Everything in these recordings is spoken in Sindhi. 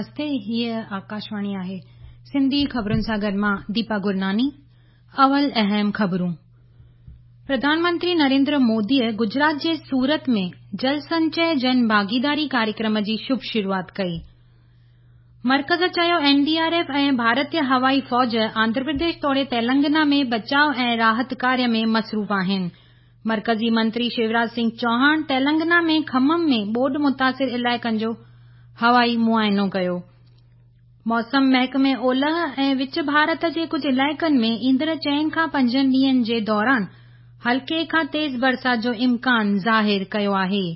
نمستي هيء آڪاشواڻي آهي سنڌي خبرن سان گڏ مان ديپا گرناني اول اهم خبرون پرڌان منتري نريندر موديء گجرات جي سورت ۾ جل سنچي جن ڀاگيداري ڪاريڪرم جي شڀ شروعات ڪئي. مرڪز چيو اين ڊي آر ايف ۽ ڀارتي هوائي فوج آنڌرا پرديش توڙي تيلنگانا ۾ بچاء ۽ راحت ڪاريه ۾ مصروف آهن. مرڪزي منتري شيوراج سنگهه چوهاڻ تيلنگانا ۾ کمم ۾ ٻوڏ متاثر علائقن جو هوائي معائنو ڪيو. موسم محڪمي اولهه ۽ وچ ڀارت جي ڪجهه علائقن ۾ ايندڙ چئن کان پنجن ڏينهن جي دوران هلڪي کان تيز برسات جو امڪان ظاهر ڪيو آهي.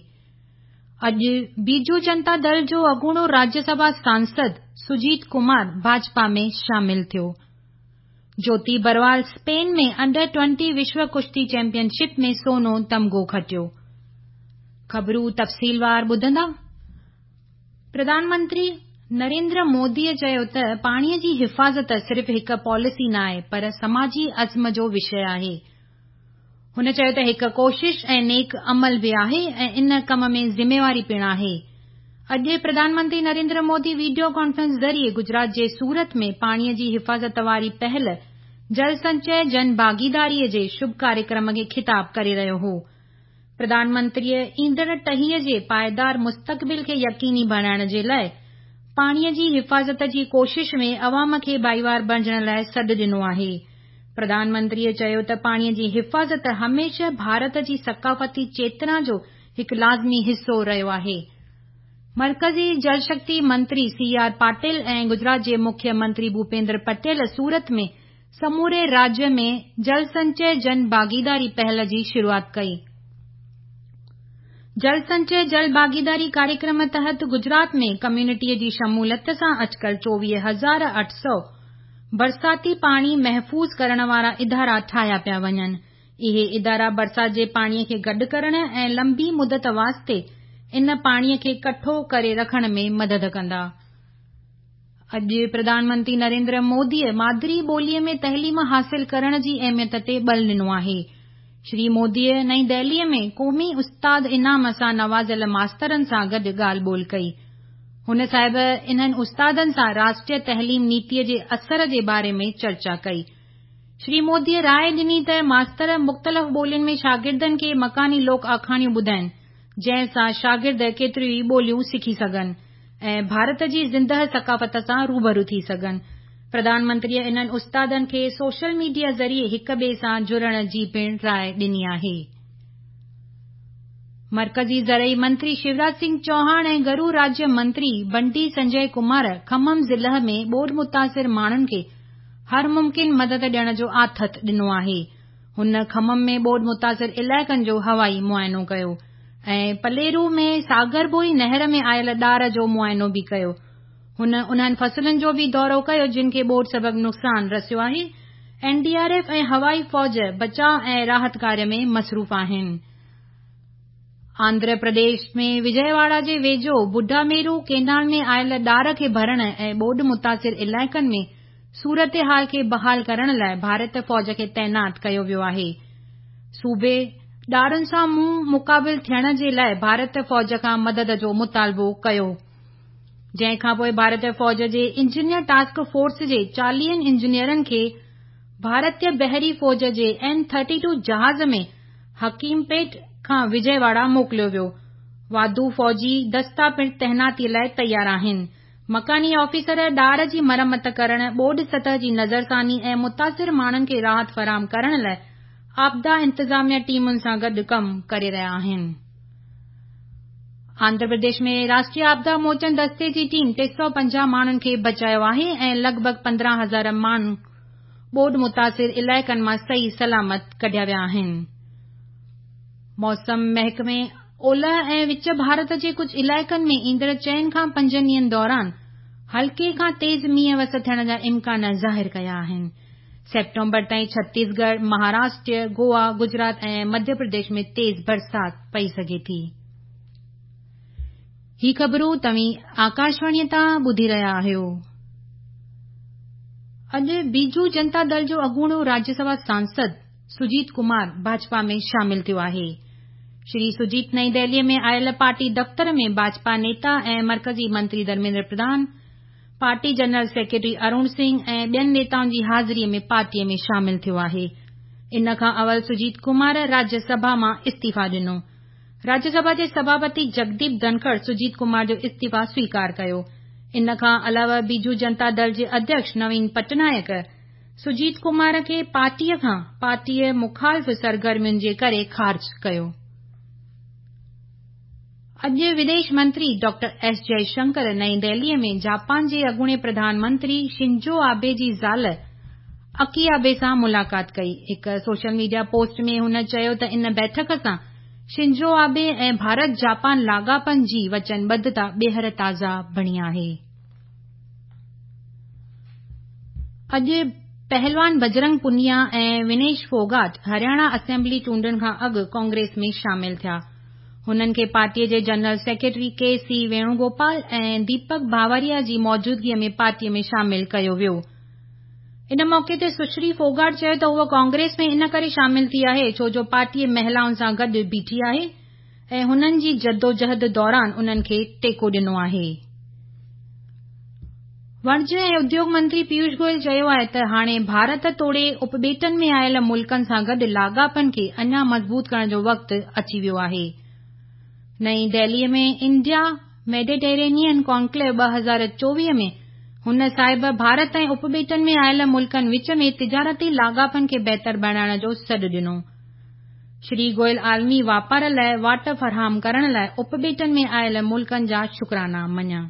اڄ بيجو جنتا دل جو اڳوڻو راجيه سڀا سانسد سجيت ڪمار ڀاجپا ۾ شامل ٿيو. جوتي بروال اسپين ۾ انڊر 20 وشو ڪشتي چيمپيئن شپ ۾ سونو تمغو کٽيو. خبرون تفصيلوار ٻڌندا. پرڌان منتري نريندر موديء چيو ته پاڻيء جي حفاظت صرف هڪ پاليسي ناهي پر سماجي عزم جو وشيه آهي. هن چيو ته هڪ ڪوشش ۽ نيڪ عمل به آهي ۽ ان ڪم ۾ ذميواري پڻ آهي. اڄ پرڌان منتري نريندر مودي وڊيو ڪانفرنس ذريعي گجرات جي سورت ۾ پاڻيء جي حفاظت واري پهل جل سنچي جن ڀاگيداري جي شڀ ڪاريڪرم کي خطاب ڪري رهيو هو. پرڌان منتريء ايندڙ ٽهيء جي پائيدار مستقبل کي يقيني بڻائڻ جي لاء پاڻيء جي حفاظت جي ڪوشش ۾ عوام کي ڀائيوار بڻجڻ لاء سڏ ڏنو آهي. پرڌان منتريء چيو ته پاڻيء جي حفاظت هميشه ڀارت جي ثقافتي چيتنا جو هڪ لازمي حصو رهيو آهي. مرڪزي جل شڪتي منتري سي آر پاٽل ۽ گجرات جي مکيه منتري ڀوپيندر پٽيل سورت ۾ سموري راجيه ۾ جل سنچي جن ڀاگيداري پهل جي شروعات ڪئي. جل سنچي جل ڀاگيداري ڪاريڪرم تحت گجرات ۾ ڪميونٽيء جي شموليت سان اٽڪل 24,800 برساتي پاڻي محفوظ ڪرڻ وارا ادارا ٺاهيا پيا وڃن. اهي ادارا برسات جي پاڻي کي گڏ ڪرڻ ۽ لنبي مدت واسطي ان پاڻي کي ڪٺو ڪري رکڻ ۾ مدد ڪندا. اڄ پرڌان منتري نريندر موديء مادري ٻوليء ۾ تعليم حاصل ڪرڻ جي اهميت تي ٻل ڏنو آهي. شري موديء نئين دهليء ۾ قومي استاد انعام سان نوازيل ماسترن سان گڏ ڳالهه ٻولهه ڪئي. هن صاحب انهن استادن سان راشٽريه تعليم نيتيء جي اثر جي باري ۾ چرچا ڪئي. شري موديء راء ڏني ته ماستر مختلف ٻولين ۾ شاگردن کي مڪاني لوڪ آکاڻيون ٻڌائين، جنهن سان شاگرد ڪيتريون ئي ٻوليون سکي سگهن ۽ ڀارت جي زندهه ثقافت سان روبرو ٿي سگهن. پرڌان منتريء انهن استادن کي سوشل ميڊيا ذريعي هڪ ٻئي سان جڙڻ جي پڻ راء ڏني آهي. مرڪزي زرعي منتري شيوراج سنگهه چوهاڻ ۽ گهرو راجيه منتري بنڊي سنجي ڪمار کمم ضلع ۾ ٻوڏ متاثر ماڻهن کي هر ممڪن مدد ڏيڻ جو آٿت ڏنو آهي. هن کمم ۾ ٻوڏ متاثر علائقن جو هوائي معائنو ڪيو ۽ پليرو ۾ ساگربوئي نهر ۾ آيل ڏار جو معائنو به ڪيو. هن انهن فصلن جو به دورو ڪيو جن کي ٻوڏ سبب نقصان رسيو آهي. اين ڊي آر ايف ۽ هوائي فوج بچاء ۽ راحت ڪاريه ۾ مصروف آهن. آنڌرا پرديش ۾ وجي واڙا جي ويجهو بڊاميرو ڪينال ۾ آيل ڏار کي ڀرڻ ۽ ٻوڏ متاثر علائقن ۾ صورتحال کي بحال ڪرڻ لاء ڀارتي فوج کي تعينات ڪيو ويو آهي. صوبي ڏارن سان منهن مقابل ٿيڻ جي لاء ڀارتي فوج کان مدد جو مطالبو ڪيو. جنهن کانپوء ڀارتي فوج جي انجنيئر ٽاسڪ فورس جي چاليهن انجنيئرن کي ڀارتي بحري فوج جي اين ٿرٽي ٽو جهاز ۾ حڪيم پيٽ کان وجي واڙا موڪليو ويو. واڌو فوجي دستا پڻ تعيناتي لاء تيار آهن. مڪاني آفيسر ڏار جي مرمت ڪرڻ، ٻوڏ سطح جي نظرثاني ۽ متاثر ماڻهن کي راحت فراهم ڪرڻ لاء آپدا انتظاميا ٽيمن سان گڏ ڪم ڪري رهيا آهن. آنڌرا پرديش ۾ راشٽريه آپدا موچن دستي جي ٽيم 350 ماڻهن کي بچايو آهي ۽ لڳ ڀڳ 15 هزار ماڻهو ٻوڏ متاثر علائقن مان صحيح سلامت ڪڍيا ويا آهن. موسم محڪمي اولهه ۽ وچ ڀارت جي ڪجهه علائقن ۾ ايندڙ چئن کان پنجن ڏينهن دوران هلڪي کان تيز مينهن وس ٿيڻ جا امڪان ظاهر ڪيا آهن. سيپٽمبر تائين ڇتيسڳڙهه، مهاراشٽر، گوا، گجرات ۽ مڌيه پرديش ۾ تيز برسات پئي سگهي ٿي. هي خبرون توهين آڪاشواڻيء تان ٻڌي رهيا آهيو. اڄ بيجو جنتا دل جو اڳوڻو راجيه سڀا سانسد سجيت ڪمار ڀاجپا ۾ شامل ٿيو آهي. شري سجيت نئين دهليء ۾ آيل پارٽي دفتر ۾ ڀاجپا نيتا ۽ مرڪزي منتري ڌرميندر پرڌان، Party general secretary Arun Singh ۽ ٻين نيتائن جي حاضري ۾ پارٽيء ۾ شامل ٿيو آهي. ان کان اول سجيت ڪمار راجيه سڀا مان استعيفيٰ ڏنو. راجيه سڀا جي سڀاپتي جگديپ ڌنکڙ سجيت ڪمار جو استعيفيٰ سويڪار ڪيو. ان کان علاوه بيجو جنتا دل جي اڌيڪش نوين پٽنائڪ سجيت ڪمار کي پارٽيء کان پارٽيء مخالف سرگرمين جي ڪري خارج ڪيو. اڄ وديش منتري ڊاڪٽر ايس جئي شنڪر نئين دهليء ۾ جاپان جي اڳوڻي پرڌان منتري شنزو آبي جي زال اڪي آبي سان ملاقات ڪئي. هڪ سوشل ميڊيا پوسٽ ۾ هن چيو ته ان بيٺڪ سان شنزو آبي ۽ ڀارت جاپان لاڳاپن جي وچنبڌتا ٻيهر تازه بڻي آهي. اڄ پهلوان بجرنگ پونيا ۽ ونيش ڦوگاٽ هرياڻا اسيمبلي چونڊن کان اڳ ڪانگريس ۾ شامل ٿيا. هنن کي پارٽيء جي general secretary K C Venugopal ۽ Deepak Bawaria جي موجودگيء ۾ پارٽيء ۾ شامل ڪيو ويو. ان موقعي تي سشري ڦوگاٽ چيو ته هوء ڪانگريس ۾ ان ڪري شامل ٿي آهي ڇو جو پارٽيء مهلائن سان گڏ بيٺي آهي ۽ هنن جي جدوجهد دوران انهن کي ٽيڪو ڏنو آهي. وڻج ۽ اديوڳ منتري پيوش گويل چيو آهي ته هاڻي ڀارت توڙي اپٻيٽن ۾ آيل ملڪن سان گڏ لاڳاپن کي اڃا مضبوط ڪرڻ جو وقت اچي ويو آهي. نئين دهليء ۾ انڊيا ميڊيٽرينين ڪانڪليو 2024 ۾ هن صاحب ڀارت ۽ اپٻيٽن ۾ آيل ملڪن وچ ۾ تجارتي لاڳاپن کي بهتر بڻائڻ جو سڏ ڏنو. شري گويل عالمي واپار لاء واٽ فراهم ڪرڻ لاء اپٻيٽن ۾ آيل ملڪن جا شڪرانا مڃيا.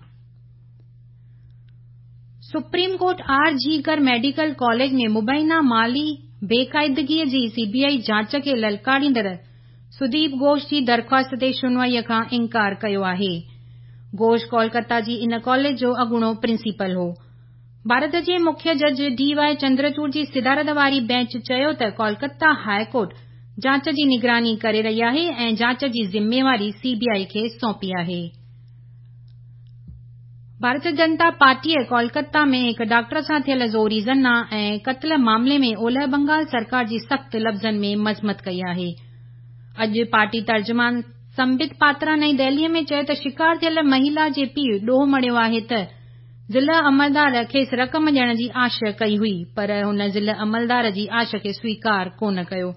Supreme court R G Kar medical college ۾ مبينا مالي بيقاعدگي جي سي بي آء جاچ کي للڪاريندڙ سديپ گهوش جي درخواست تي شنوائي کان انڪار ڪيو آهي. گهوش ڪولڪتا جي ان ڪاليج جو اڳوڻو پرنسپل هو. ڀارت جي مکيه جج ڊي واء چندرچوڙ جي صدارت واري بينچ چيو ته ڪولڪتا هاء ڪورٽ جاچ جي نگراني ڪري رهي آهي ۽ جاچ جي ذميواري سي بي آء کي سونپي آهي. ڀارتيه جنتا پارٽيء ڪولڪتا ۾ هڪ ڊاڪٽر سان ٿيل زوري زنا ۽ قتل معاملي ۾ اولهه بنگال سرڪار جي سخت لفظن ۾ مذمت ڪئي آهي. اڄ پارٽي ترجمان سمبت پاترا نئين دهليء ۾ چيو ته شڪار ٿيل مهيلا جي پيء ڏوهه مڙهيو آهي ته ضلع عملدار کيس رقم ڏيڻ جي آش ڪئي هئي پر هن ضلع عملدار جي آش کي سويڪار ڪونه ڪيو.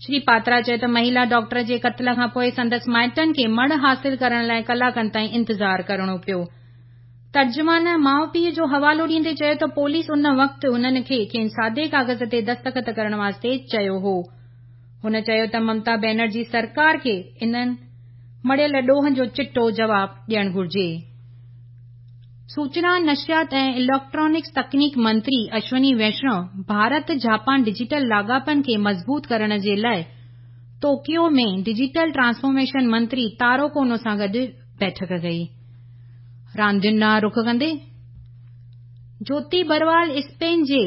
شري پاترا چيو ته مهيلا ڊاڪٽر جي قتل کان پوء سندس مائٽن کي مڙهه حاصل ڪرڻ لاء ڪلاڪن تائين انتظار ڪرڻو پيو. ترجمان ماء پيء جو حوالو ڏيندي چيو ته پوليس ان وقت هنن کي کين سادي ڪاغذ تي دستخط ڪرڻ واسطي چيو هو. هن چيو ته ممتا بينرجي سرڪار کي انهن مڙهيل ڏوهن جو چٽو جواب ڏيڻ گهرجي. سوچنا، نشريات ۽ اليڪٽرانڪس تڪنيڪ منتري اشوني ويشنو ڀارت جاپان ڊجيٽل لاڳاپن کي مضبوط ڪرڻ جي لاء ٽوڪيو ۾ ڊجيٽل ٽرانسفارميشن منتري تارو ڪونو سان گڏ بيٺڪ ڪئي. راندين ڏانهن رخ ڪندي جوتي بروال اسپين جي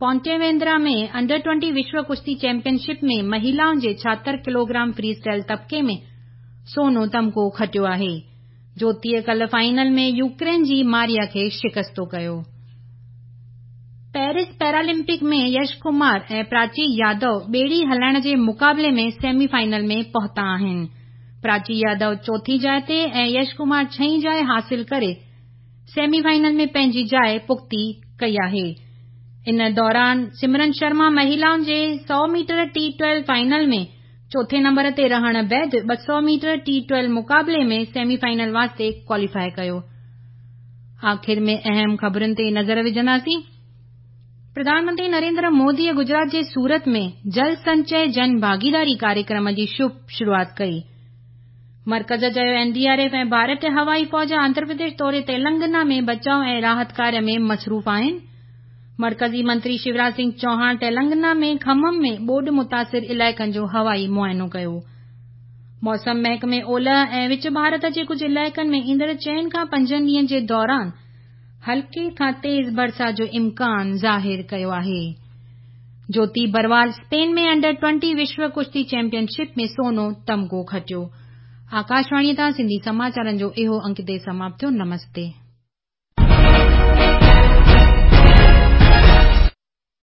پونٽيويندرا ۾ انڊر 20 وشو ڪشتي چيمپيئن شپ ۾ مهيلائن جي 76 ڪلوگرام فري اسٽائل طبقي ۾ سونو تمغو کٽيو آهي. جوتيء ڪلهه فائنل ۾ يوڪرين جي ماريا کي شڪستو ڪيو. پيرس پيرالمپڪ ۾ يش ڪمار ۽ پراچي يادو ٻيڙي هلائڻ جي مقابلي ۾ سيمي فائنل ۾ پهتا آهن. پراچي يادو چوٿين جاء تي ۽ يش ڪمار ڇهين جاء حاصل ڪري سيمي فائنل ۾ پنهنجي جاء پختي ڪئي آهي. ان دوران سمرن شرما مهيلائن جي 100 ميٽر ٽي 12 فائنل ۾ چوٿين نمبر تي رهڻ بعد 200 ميٽر ٽي 12 مقابلي ۾ سيمي فائنل واسطي ڪواليفائي ڪيو. آخر ۾ اهم خبرن تي نظر وجهنداسين. پرڌان منتري نريندر موديء گجرات جي سورت ۾ جل سنچي جن ڀاگيداري ڪاريڪرم جي شڀ شروعات ڪئي. مرڪز چيو اين ڊي آر ايف ۽ ڀارتي هوائي فوج آنڌرا پرديش توڙي تيلنگانا ۾ بچاء ۽ راحت ڪاريه ۾ مصروف آهن. مرڪزي منتري شيوراج سنگهه چوهاڻ تيلنگانا ۾ کمم ۾ ٻوڏ متاثر علائقن جو هوائي معائنو ڪيو. موسم محڪمي اولهه ۽ وچ ڀارت جي ڪجهه علائقن ۾ ايندڙ چئن کان پنجن ڏينهن جي دوران هلڪي کان تيز برسات جو امڪان ظاهر ڪيو آهي. جوتي بروال اسپين ۾ انڊر 20 وشو ڪشتي چيمپيئن شپ ۾ سونو تمغو کٽيو. آڪاشواڻيء تان سنڌي سماچارن جو اهو انڪ هتي سماپت ٿيو. نمستي.